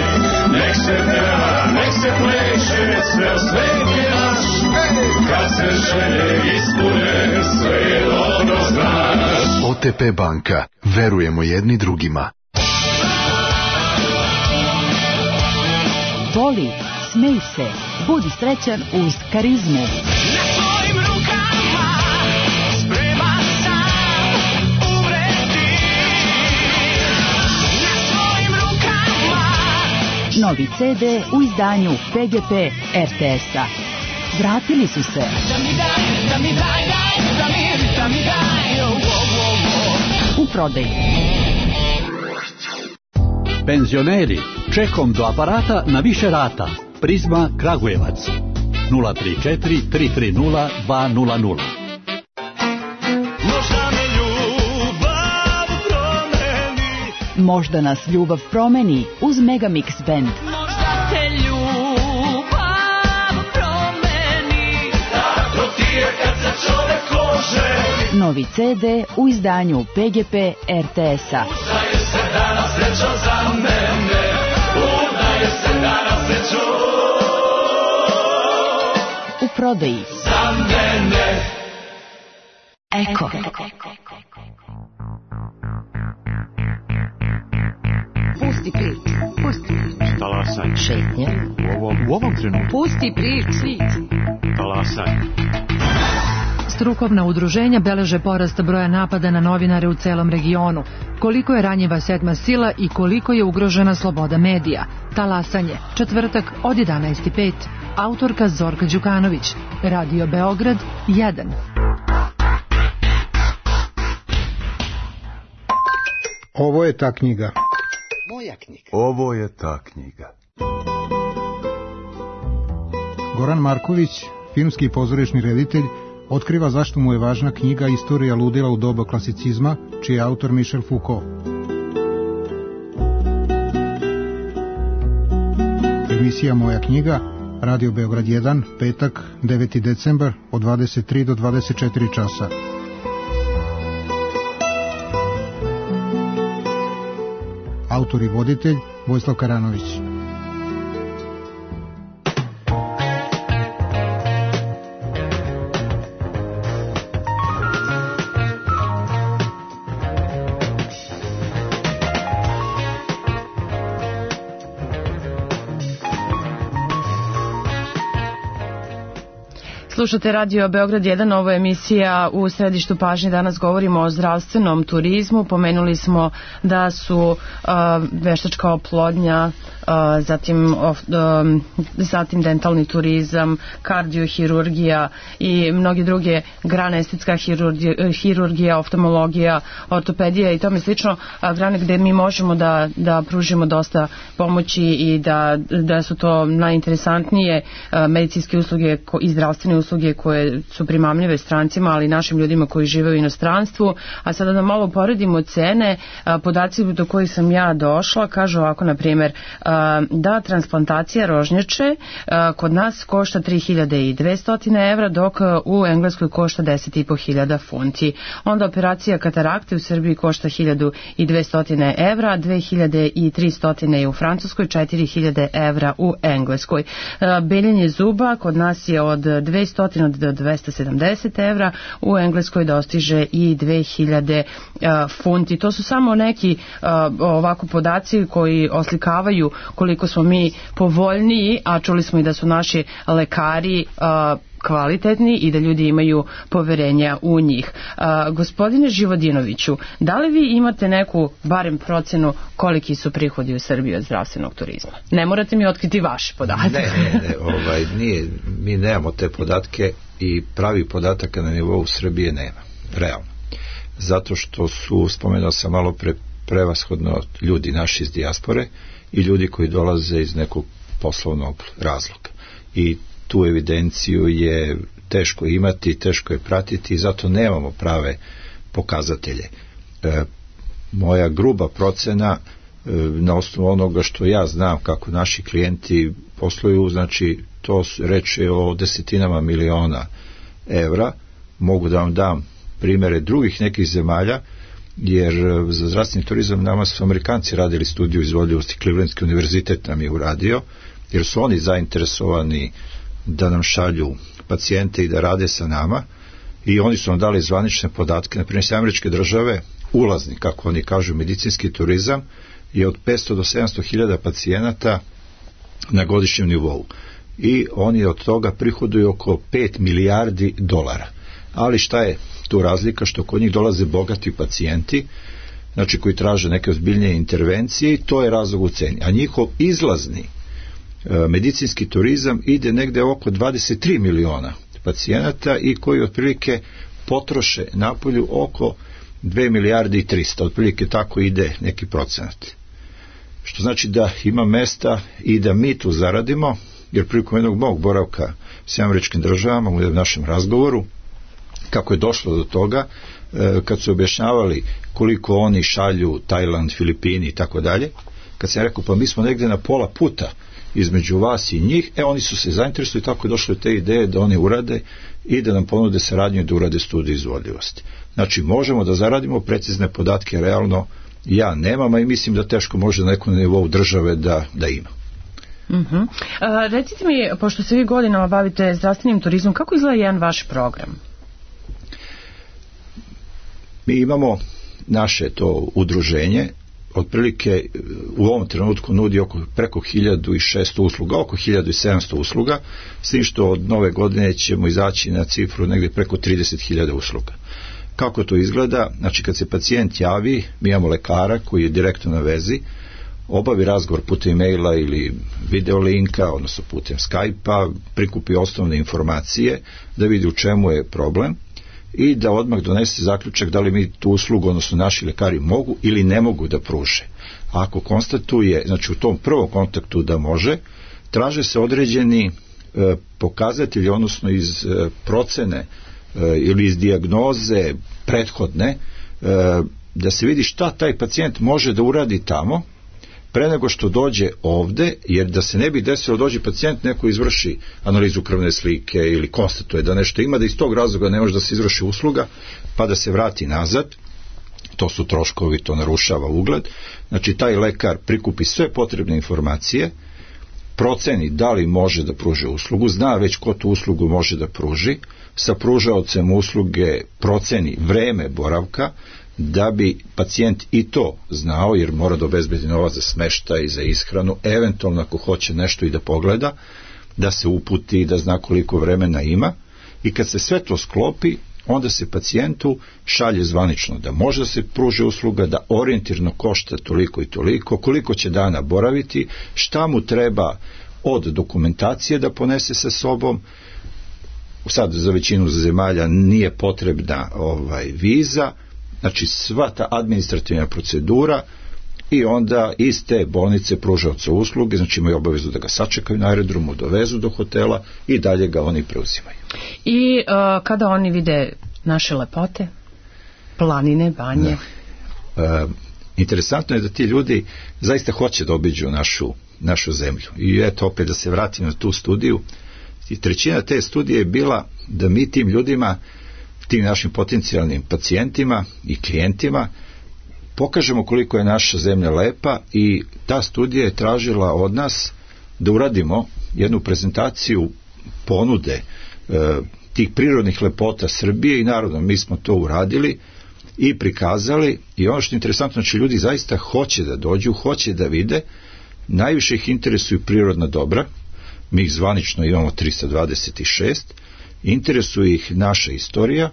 Nek se peva, nek se pleše, sve svet je naš. Kad se želje ispune, sve je dobro znaš. O T P banka. Verujemo jedni drugima. Voli, smej se, budi srećan uz Karizmu. Na svojim rukama spreman sam umreti. Na svojim rukama. Novi C D u izdanju P G P R T S-a. Vratili su se. Da mi daj, da mi daj, daj, da mi, da mi daj, oh, oh, oh. U prodaji. Penzioneri, čekom do aparata na više rata. Prizma Kragujevac. nula tri četiri tri tri nula dva nula nula. Možda me ljubav promeni. Možda nas ljubav promeni uz Megamix Band. Možda te ljubav promeni. Tako ti je kad se čovek lože. Novi C D u izdanju P G P R T S-a. Udaje se danas srećo za mene. Udaje se danas srećo U prodaji. za mene. Eko. Pusti priču, pusti priču. Talasaj. Šetnja. U ovom, u ovom trenutku. Pusti priču. Talasaj. Strukovna udruženja beleže porast broja napada na novinare u celom regionu. Koliko je ranjiva sedma sila i koliko je ugrožena sloboda medija. Talasanje, četvrtak od jedanaest i pet. Autorka Zorka Đukanović. Radio Beograd jedan. Ovo je ta knjiga. Moja knjiga. Ovo je ta knjiga. Goran Marković, filmski i pozorišni reditelj, otkriva zašto mu je važna knjiga Istorija ludila u doba klasicizma, čiji je autor Michel Foucault. Emisija Moja knjiga, Radio Beograd jedan, petak, deveti decembar, od dvadeset tri do dvadeset četiri časa. Autor i voditelj Vojislav Karanović. Slušate Radio Beograd jedan, ovo je emisija u središtu pažnje. Danas govorimo o zdravstvenom turizmu. Pomenuli smo da su uh, veštačka oplodnja, uh, zatim, of, um, zatim dentalni turizam, kardiohirurgija i mnoge druge grane, estetska hirurgija, hirurgija, oftalmologija, ortopedija i tome slično, uh, grane gde mi možemo da, da pružimo dosta pomoći i da, da su to najinteresantnije uh, medicinske usluge ko, i zdravstvene usluge koje su primamljive strancima, ali i našim ljudima koji žive u inostranstvu. A sada da malo poredimo cene, podaci do kojih sam ja došla kažu ovako, na primjer, da transplantacija rožnjače kod nas košta tri hiljade dvesta evra, dok u Engleskoj košta deset i po hiljada funti. Onda operacija katarakte u Srbiji košta hiljadu dvesta evra, dve hiljade tristo je u Francuskoj, četiri hiljade evra u Engleskoj. Beljenje zuba kod nas je od dvesta do dvesta sedamdeset evra, u Engleskoj dostiže i dve hiljade funti. To su samo neki ovako podaci koji oslikavaju koliko smo mi povoljniji, a čuli smo i da su naši lekari kvalitetni i da ljudi imaju poverenja u njih. A, gospodine Živodinoviću, da li vi imate neku barem procenu koliki su prihodi u Srbiji od zdravstvenog turizma? Ne morate mi otkriti vaše podatke. Ne, ne, ne ovaj, nije, mi nemamo te podatke i pravi podataka na nivou Srbije nema. realno. Zato što su, spomenuo sam malo pre, prevashodno ljudi naši iz dijaspore i ljudi koji dolaze iz nekog poslovnog razloga. I tu evidenciju je teško imati, teško je pratiti i zato nemamo prave pokazatelje. E, moja gruba procena e, na osnovu onoga što ja znam kako naši klijenti posluju, znači to reče o desetinama miliona evra. Mogu da vam dam primere drugih nekih zemalja, jer za zdravstveni turizam nama su Amerikanci radili studiju izvodljivosti, Clevelandski univerzitet nam je uradio, jer su oni zainteresovani da nam šalju pacijente i da rade sa nama, i oni su nam dali zvanične podatke. Na primjer, Američke države, ulazni, kako oni kažu, medicinski turizam je od petsto do sedamsto hiljada pacijenata na godišnjem nivou i oni od toga prihoduju oko pet milijardi dolara. Ali šta je tu razlika? Što kod njih dolaze bogati pacijenti, znači koji traže neke ozbiljnije intervencije, i to je razlog u ceni. A njihov izlazni e, medicinski turizam ide negde oko dvadeset tri miliona pacijenata i koji otprilike potroše napolju oko dve milijarde i trista, otprilike tako ide neki procenat. Što znači da ima mesta i da mi tu zaradimo, jer prilikom jednog mog boravka s Američkim državama u našem razgovoru, kako je došlo do toga, kad su objašnjavali koliko oni šalju Tajland, Filipini i tako dalje, kad sam rekao pa mi smo negde na pola puta između vas i njih, e oni su se zainteresovali, tako je došlo do te ideje da oni urade i da nam ponude saradnju i da urade studiju izvodljivosti. Znači možemo da zaradimo precizne podatke, realno ja nemam, a i mislim da teško može na nekom nivou države da, da ima. Uh-huh. A, recite mi, pošto se vi godinama bavite zdravstvenim turizmom, kako izgleda jedan vaš program? Mi imamo naše to udruženje, otprilike u ovom trenutku nudi oko preko hiljadu i šesto usluga, oko hiljadu i sedamsto usluga, s tim što od nove godine ćemo izaći na cifru negdje preko trideset hiljada usluga. Kako to izgleda? Znači kad se pacijent javi, mi imamo lekara koji je direktno na vezi, obavi razgovor putem e-maila ili video linka, odnosno putem Skype-a, prikupi osnovne informacije da vidi u čemu je problem i da odmah donese zaključak da li mi tu uslugu, odnosno naši lekari mogu ili ne mogu da pruže. Ako konstatuje, znači u tom prvom kontaktu da može, traže se određeni e, pokazatelji, odnosno iz e, procene e, ili iz dijagnoze prethodne, e, da se vidi šta taj pacijent može da uradi tamo pre nego što dođe ovde, jer da se ne bi desilo dođe pacijent, neko izvrši analizu krvne slike ili konstatuje da nešto ima, da iz tog razloga ne može da se izvrši usluga, pa da se vrati nazad, to su troškovi, to narušava ugled. Znači taj lekar prikupi sve potrebne informacije, proceni da li može da pruži uslugu, zna već ko tu uslugu može da pruži, sa pružaocem usluge proceni vreme boravka, da bi pacijent i to znao, jer mora da obezbedi novac za smeštaj i za ishranu, eventualno ako hoće nešto i da pogleda, da se uputi, da zna koliko vremena ima, i kad se sve to sklopi, onda se pacijentu šalje zvanično da može da se pruži usluga, da orijentirno košta toliko i toliko, koliko će dana boraviti, šta mu treba od dokumentacije da ponese sa sobom. Sad za većinu zemalja nije potrebna ovaj viza, znači sva ta administrativna procedura, i onda iz te bolnice pružaoca usluge, znači imaju obavezu da ga sačekaju na aerodromu, dovezu do hotela i dalje ga oni preuzimaju. I uh, kada oni vide naše lepote, planine, banje? Da. Uh, interesantno je da ti ljudi zaista hoće da obiđu našu, našu zemlju. I eto opet da se vratim na tu studiju. I trećina te studije je bila da mi tim ljudima, tim našim potencijalnim pacijentima i klijentima pokažemo koliko je naša zemlja lepa, i ta studija je tražila od nas da uradimo jednu prezentaciju ponude e, tih prirodnih lepota Srbije, i naravno mi smo to uradili i prikazali. I ono što je interesantno, znači ljudi zaista hoće da dođu, hoće da vide, najviše ih interesuju prirodna dobra, mi ih zvanično imamo trista dvadeset šest, interesuje ih naša istorija,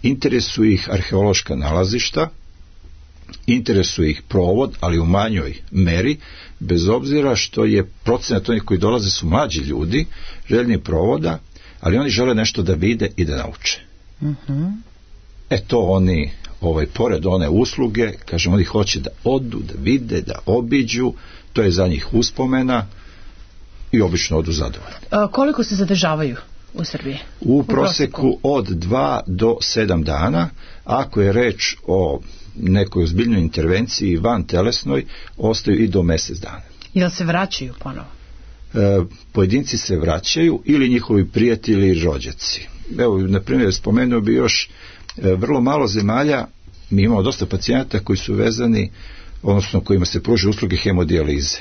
interesuje ih arheološka nalazišta, interesuje ih provod, ali u manjoj meri, bez obzira što je procenat onih koji dolaze su mlađi ljudi, željni provoda, ali oni žele nešto da vide i da nauče. Uh-huh. E to oni, ovaj, pored one usluge, kažem, oni hoće da odu, da vide, da obiđu, to je za njih uspomena i obično odu zadovoljni. A, koliko se zadržavaju u Srbiji? U, u proseku, proseku od dva do sedam dana, ako je reč o nekoj ozbiljnoj intervenciji van telesnoj, ostaju i do mesec dana. Jel se vraćaju ponovo? E, pojedinci se vraćaju ili njihovi prijatelji i rođaci. Evo, na primjer, spomenuo bi još e, vrlo malo zemalja, mi imamo dosta pacijenata koji su vezani, odnosno kojima se pruže usluge hemodijalize.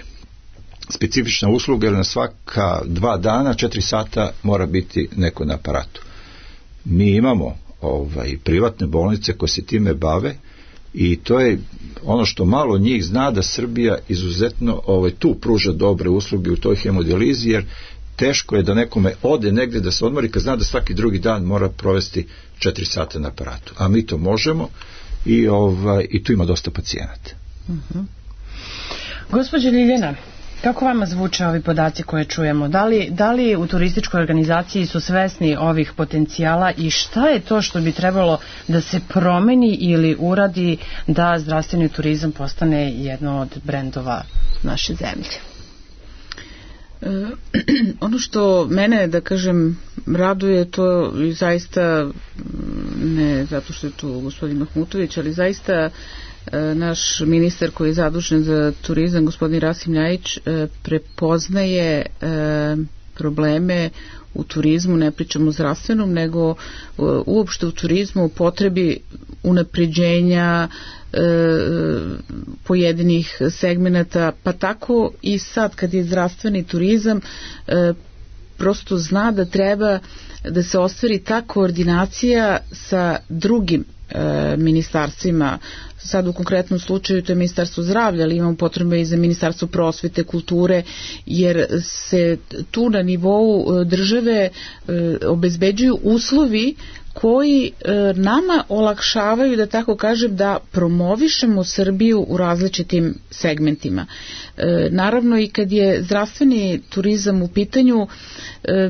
Specifična usluga, jer na svaka dva dana, četiri sata mora biti neko na aparatu. Mi imamo ovaj, privatne bolnice koje se time bave i to je ono što malo njih zna, da Srbija izuzetno ovaj, tu pruža dobre usluge u toj hemodijalizi, jer teško je da nekome ode negde da se odmori kad zna da svaki drugi dan mora provesti četiri sata na aparatu. A mi to možemo i, ovaj, i tu ima dosta pacijenata. Uh-huh. Gospođa Ljiljana, kako vama zvuče ovi podaci koje čujemo? Da li, da li u turističkoj organizaciji su svesni ovih potencijala i šta je to što bi trebalo da se promeni ili uradi da zdravstveni turizam postane jedno od brendova naše zemlje? E, ono što mene, da kažem, raduje, to i zaista, ne zato što je tu gospodin Mahmutović, ali zaista naš ministar koji je zadužen za turizam, gospodin Rasim Ljajić, prepoznaje probleme u turizmu, ne pričamo o zdravstvenom, nego uopšte u turizmu u potrebi unapređenja pojedinih segmenata, pa tako i sad kad je zdravstveni turizam, prosto zna da treba da se ostvari ta koordinacija sa drugim ministarstvima. Sad u konkretnom slučaju to je Ministarstvo zdravlja, ali imamo potrebe i za Ministarstvo prosvete, kulture, jer se tu na nivou države obezbeđuju uslovi koji nama olakšavaju, da tako kažem, da promovišemo Srbiju u različitim segmentima. Naravno i kad je zdravstveni turizam u pitanju,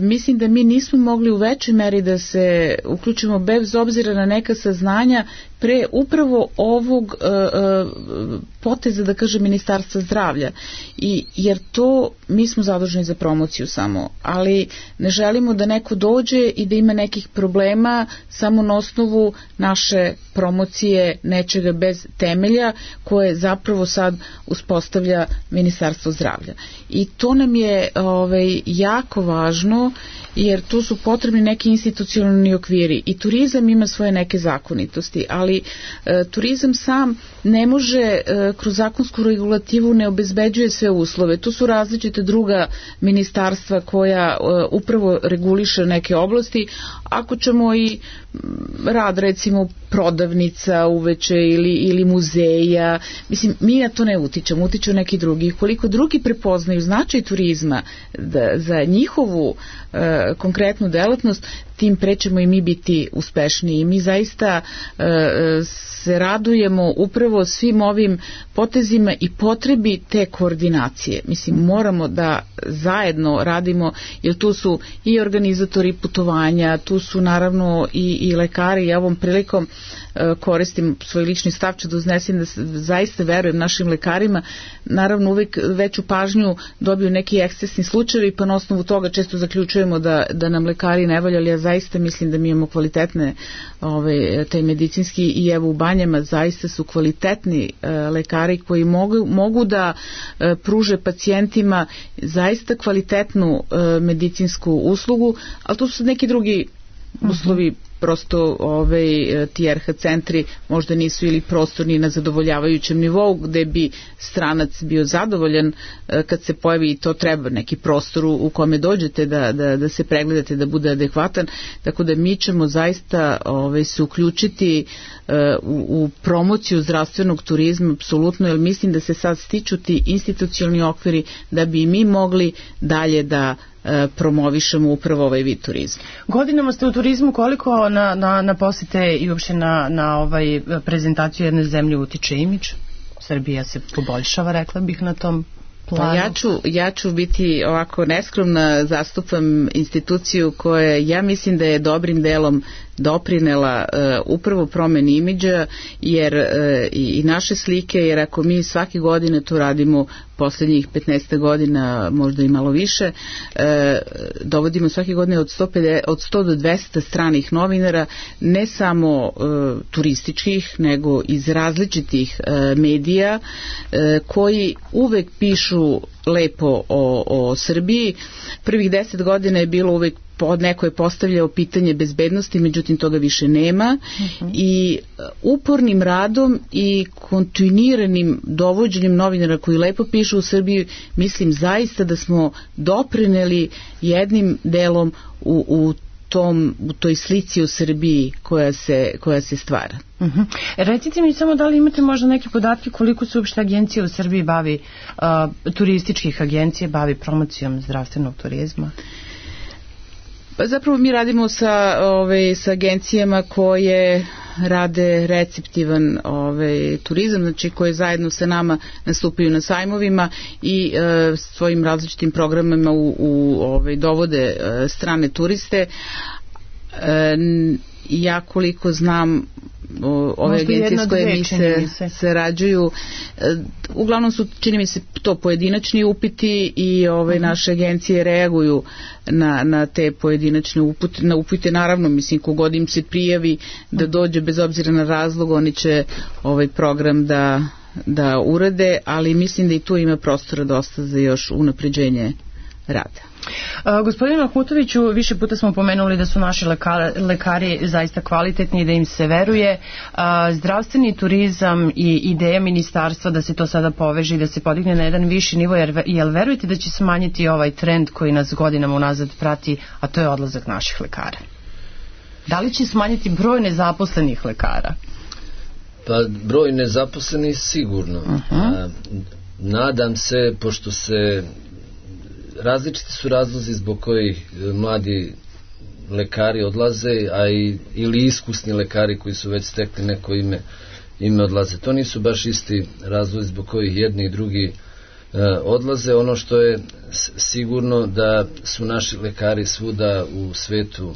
mislim da mi nismo mogli u većoj meri da se uključimo bez obzira na neka saznanja pre upravo ovog uh, poteza, da kažem, Ministarstva zdravlja. I, jer to, mi smo zaduženi za promociju samo, ali ne želimo da neko dođe i da ima nekih problema samo na osnovu naše promocije nečega bez temelja koje zapravo sad uspostavlja Ministarstvo zdravlja. I to nam je ovaj, jako važno, jer tu su potrebni neki institucionalni okviri i turizam ima svoje neke zakonitosti, ali e, turizam sam ne može e, kroz zakonsku regulativu ne obezbeđuje sve uslove. Tu su različite druga ministarstva koja e, upravo reguliše neke oblasti. Ako ćemo i rad recimo prodavnica uveče ili, ili muzeja, mislim, mi na to ne utičemo, utiču neki drugi. Koliko drugi prepoznaju značaj turizma da, za njihovu e, konkretnu delatnost, tim pre ćemo i mi biti uspešniji. Mi zaista e, se radujemo upravo svim ovim potezima i potrebi te koordinacije. Mislim, moramo da zajedno radimo, jer tu su i organizatori putovanja, tu su naravno i, i lekari. Ja ovom prilikom e, koristim svoj lični stav, ću da uznesem da zaista verujem našim lekarima. Naravno, uvek veću pažnju dobiju neki ekscesni slučajevi, pa na osnovu toga često zaključujemo da, da nam lekari ne valja, ali ja zaista mislim da mi imamo kvalitetne ove, taj medicinski, i evo u Banjama zaista su kvalitetni e, lekari koji mogu, mogu da e, pruže pacijentima zaista kvalitetnu e, medicinsku uslugu, ali tu su neki drugi uslovi, prosto ovaj, ti er ha centri možda nisu ili prostorni na zadovoljavajućem nivou gde bi stranac bio zadovoljan kad se pojavi, i to treba neki prostor u kome dođete da, da, da se pregledate, da bude adekvatan, tako da mi ćemo zaista ovaj, se uključiti uh, u, u promociju zdravstvenog turizma apsolutno, jer mislim da se sad stiču ti institucionalni okviri da bi mi mogli dalje da promovišemo upravo ovaj vid turizma. Godinama ste u turizmu, koliko na, na, na posete i uopšte na, na ovaj prezentaciju jedne zemlje utiče imidž? Srbija se poboljšava, rekla bih, na tom planu. Pa ja ću, ja ću biti ovako neskromna, zastupam instituciju koja, ja mislim da je dobrim delom doprinela upravo promeni imidža jer i naše slike, jer ako mi svake godine to radimo poslednjih petnaest godina, možda i malo više, e, dovodimo svake godine od sto pedeset, od sto do dvesta stranih novinara, ne samo e, turističkih, nego iz različitih e, medija e, koji uvek pišu lepo o, o Srbiji. Prvih deset godina je bilo uvek pod neko je postavljao pitanje bezbednosti, međutim toga više nema uh-huh. i upornim radom i kontinuiranim dovođenjem novinara koji lepo pišu u Srbiji, mislim zaista da smo doprineli jednim delom u, u tom, u toj slici u Srbiji koja se, koja se stvara. Uh-huh. Recite mi samo da li imate možda neke podatke koliko se uopšte agencija u Srbiji bavi, uh, turističkih agencija bavi promocijom zdravstvenog turizma? Pa zapravo mi radimo sa, ove, sa agencijama koje rade receptivan ove, turizam, znači koje zajedno sa nama nastupaju na sajmovima i e, svojim različitim programima u, u, ove, dovode e, strane turiste. E, ja koliko znam o, ove možda agencije s koje mi se, se sarađuju, e, uglavnom su, čini mi se, to pojedinačni upiti i ove uh-huh. naše agencije reaguju na, na te pojedinačne upute, na upute, naravno, mislim, kogod im se prijavi da dođe bez obzira na razlog, oni će ovaj program da, da urade, ali mislim da i tu ima prostora dosta za još unapređenje rada. Uh, gospodine Mahmutoviću, više puta smo pomenuli da su naši lekari, lekari zaista kvalitetni i da im se veruje. Uh, zdravstveni turizam i ideja ministarstva da se to sada poveže i da se podigne na jedan viši nivo, jer, jel verujete da će smanjiti ovaj trend koji nas godinama unazad prati, a to je odlazak naših lekara? Da li će smanjiti broj nezaposlenih lekara? Pa broj nezaposlenih sigurno. Uh-huh. A, nadam se, pošto se različiti su razlozi zbog kojih mladi lekari odlaze, a i, ili iskusni lekari koji su već stekli neko ime, ime odlaze. To nisu baš isti razlozi zbog kojih jedni i drugi e, odlaze. Ono što je sigurno da su naši lekari svuda u svetu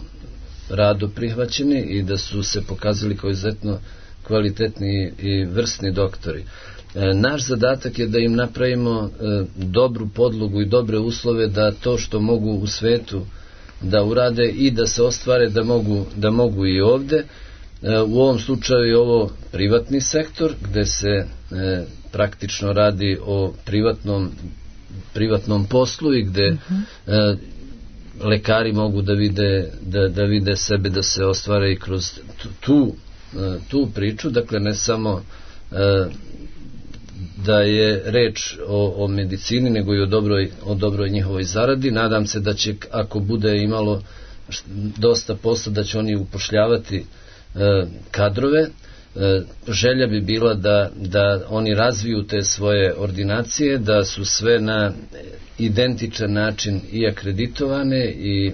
rado prihvaćeni i da su se pokazali kao izuzetno kvalitetni i vrsni doktori. E, naš zadatak je da im napravimo e, dobru podlogu i dobre uslove da to što mogu u svetu da urade i da se ostvare da mogu, da mogu i ovde. E, u ovom slučaju je ovo privatni sektor gde se e, praktično radi o privatnom, privatnom poslu i gde uh-huh. e, lekari mogu da vide, da, da vide sebe da se ostvare i kroz tu, tu, e, tu priču, dakle ne samo e, da je reč o, o medicini, nego i o dobroj, o dobroj njihovoj zaradi. Nadam se da će, ako bude imalo dosta posla, da će oni upošljavati e, kadrove. E, želja bi bila da, da oni razviju te svoje ordinacije, da su sve na identičan način i akreditovane i e,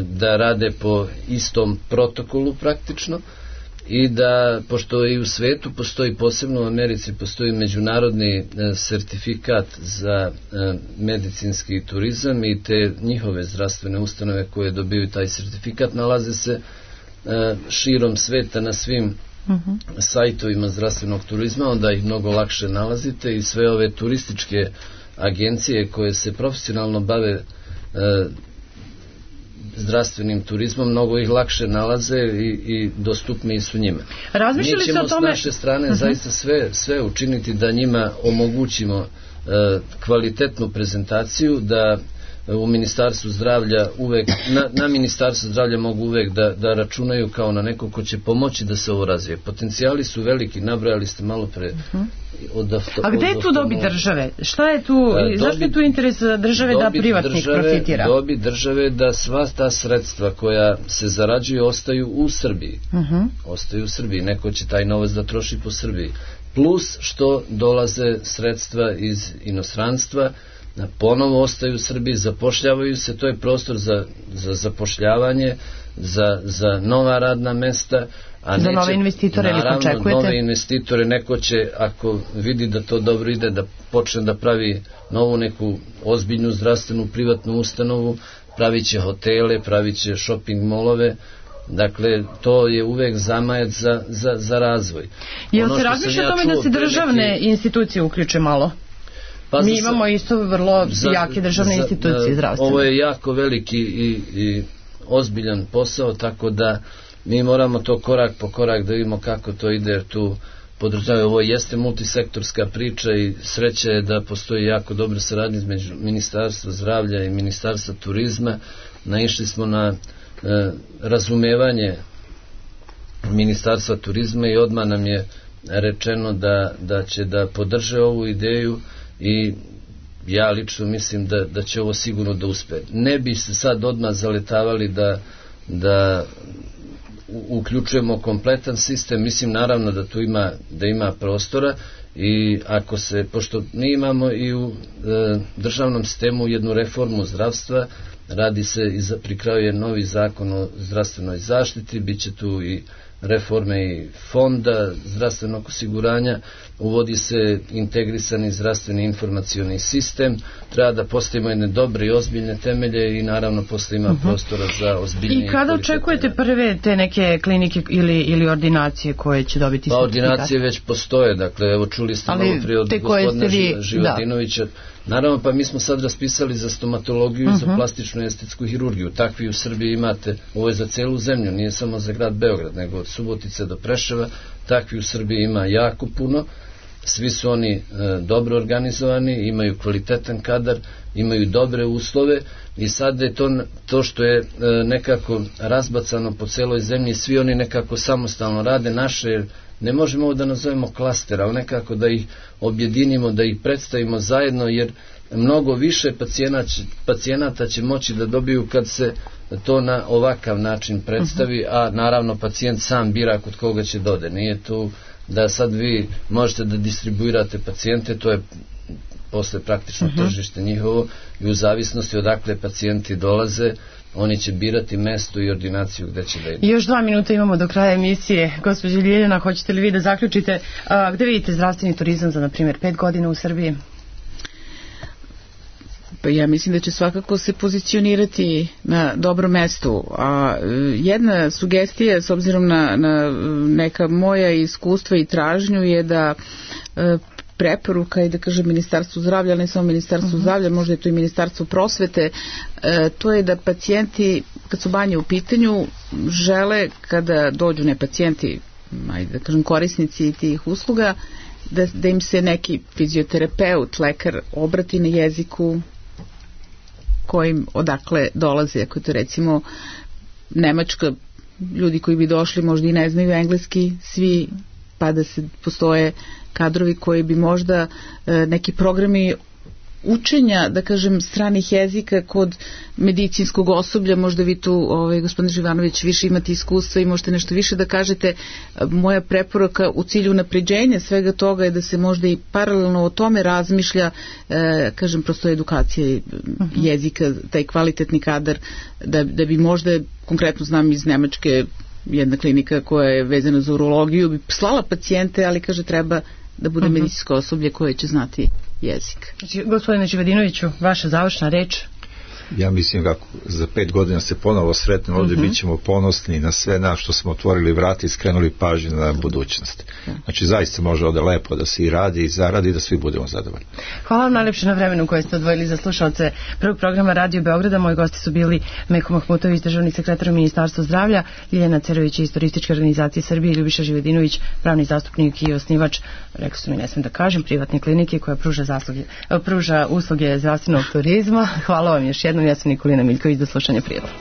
da rade po istom protokolu praktično. I da, pošto i u svetu postoji, posebno u Americi, postoji međunarodni e, sertifikat za e, medicinski turizam i te njihove zdravstvene ustanove koje dobiju taj sertifikat nalaze se e, širom sveta na svim uh-huh. sajtovima zdravstvenog turizma, onda ih mnogo lakše nalazite i sve ove turističke agencije koje se profesionalno bave e, zdravstvenim turizmom, mnogo ih lakše nalaze i, i dostupniji su njima. Mi ćemo s naše strane uh-huh. zaista sve, sve učiniti da njima omogućimo uh, kvalitetnu prezentaciju, da u Ministarstvu zdravlja uvek, na, na Ministarstvu zdravlja mogu uvek da, da računaju kao na neko ko će pomoći da se ovo razvije. Potencijali su veliki, nabrojali ste malo pre. Uh-huh. Od afto, A gde je tu dobi države? Šta je tu, dobi, zašto je tu interes države da privatnik države, profitira? Dobi države da sva ta sredstva koja se zarađuju ostaju u Srbiji. Uh-huh. Ostaju u Srbiji. Neko će taj novac da troši po Srbiji. Plus što dolaze sredstva iz inostranstva, ponovo ostaju u Srbiji, zapošljavaju se, to je prostor za, za zapošljavanje, za, za nova radna mesta, a za neće, nove investitore, naravno nove investitore, neko će, ako vidi da to dobro ide, da počne da pravi novu neku ozbiljnu zdravstvenu privatnu ustanovu, pravit će hotele, pravit će shopping molove, Dakle, to je uvek zamajac za, za, za razvoj. Jel se razmišlja o tome da se državne neki... institucije uključe malo? Pa Mi imamo isto vrlo za, jake državne za, institucije zdravstvene. Ovo je jako veliki i, i ozbiljan posao, tako da mi moramo to korak po korak da vidimo kako to ide, jer tu podržavaju. Ovo jeste multisektorska priča i sreća je da postoji jako dobra saradnja između Ministarstva zdravlja i Ministarstva turizma. Naišli smo na e, razumevanje Ministarstva turizma i odmah nam je rečeno da, da će da podrže ovu ideju i ja lično mislim da, da će ovo sigurno da uspe. Ne bi se sad odmah zaletavali da, da uključujemo kompletan sistem, mislim naravno da tu ima, da ima prostora i ako se, pošto mi imamo i u e, državnom sistemu jednu reformu zdravstva, radi se i za, pri kraju je novi zakon o zdravstvenoj zaštiti, bit će tu i reforme i fonda zdravstvenog osiguranja, uvodi se integrisani zdravstveni informacioni sistem, treba da postavimo jedne dobre i ozbiljne temelje i naravno posle ima uh-huh. prostora za ozbiljnije. I kada očekujete prve te neke klinike ili, ili ordinacije koje će dobiti pa ordinacije već postoje, dakle evo čuli ste malo prije od gospodina vi, Životinovića, da. Naravno pa mi smo sad raspisali za stomatologiju uh-huh. i za plastičnu estetsku hirurgiju, takvi u Srbiji imate, ovo je za celu zemlju, nije samo za grad Beograd, nego od Subotice do Preševa, takvi u Srbiji ima jako puno, svi su oni e, dobro organizovani, imaju kvalitetan kadar, imaju dobre uslove i sad je to, to što je e, nekako razbacano po celoj zemlji, svi oni nekako samostalno rade, naše, ne možemo ovo da nazovemo klaster, ali nekako da ih objedinimo, da ih predstavimo zajedno, jer mnogo više pacijenata, pacijenata će moći da dobiju kad se to na ovakav način predstavi, a naravno pacijent sam bira kod koga će dode. Nije tu da sad vi možete da distribuirate pacijente, to je posle praktično uh-huh. tržište njihovo i u zavisnosti odakle pacijenti dolaze, oni će birati mesto i ordinaciju gde će da idu. Još dva minuta imamo do kraja emisije. Gospođa Ljiljana, hoćete li vi da zaključite? A, gde vidite zdravstveni turizam za, na primjer, pet godina u Srbiji? Pa ja mislim da će svakako se pozicionirati na dobrom mestu. A jedna sugestija, s obzirom na, na neka moja iskustva i tražnju, je da e, preporuka i da kažem Ministarstvu zdravlja, ne samo Ministarstvu uh-huh. zdravlja, možda je to i Ministarstvo prosvete, e, to je da pacijenti, kad su banje u pitanju, žele kada dođu ne pacijenti, ajde da kažem korisnici tih usluga, da, da im se neki fizioterapeut, lekar obrati na jeziku kojim odakle dolaze, ako to recimo Nemačka, ljudi koji bi došli možda i ne znaju engleski, svi, pa da se postoje kadrovi koji bi možda e, neki programi učenja, da kažem, stranih jezika kod medicinskog osoblja, možda vi tu, ovaj, gospodin Živanović, više imate iskustva i možete nešto više da kažete. Moja preporuka u cilju napređenja svega toga je da se možda i paralelno o tome razmišlja, e, kažem, prosto edukacija uh-huh. jezika, taj kvalitetni kadar, da, da bi možda, konkretno znam iz Nemačke, jedna klinika koja je vezana za urologiju, bi slala pacijente, ali kaže treba da bude uh-huh. medicinsko osoblje koje će znati jezik. Gospodine Živadinoviću, vaša završna reč? Ja mislim kako za pet godina se ponovo sretnemo ovdje, uh-huh. bit ćemo ponosni na sve nas što smo otvorili vrata i skrenuli pažnju na budućnost. Znači zaista može ovdje lepo da se i radi i zaradi i da svi budemo zadovoljni. Hvala vam najlepše na vremenu koje ste odvojili za slušalce prvog programa Radio Beograda. Moji gosti su bili Meho Mahmutović, državni sekretar u Ministarstvu zdravlja, Ljiljana Cerović iz Turističke organizacije Srbije, Ljubiša Živadinović, pravni zastupnik i osnivač, rekao su mi, ne smem da kažem, privatne klinike koja pruža, zasluge, pruža usluge zdravstvenog turizma. Hvala vam još jednom. Ja sam Nikolina Miljković, do slušanja prijatelja.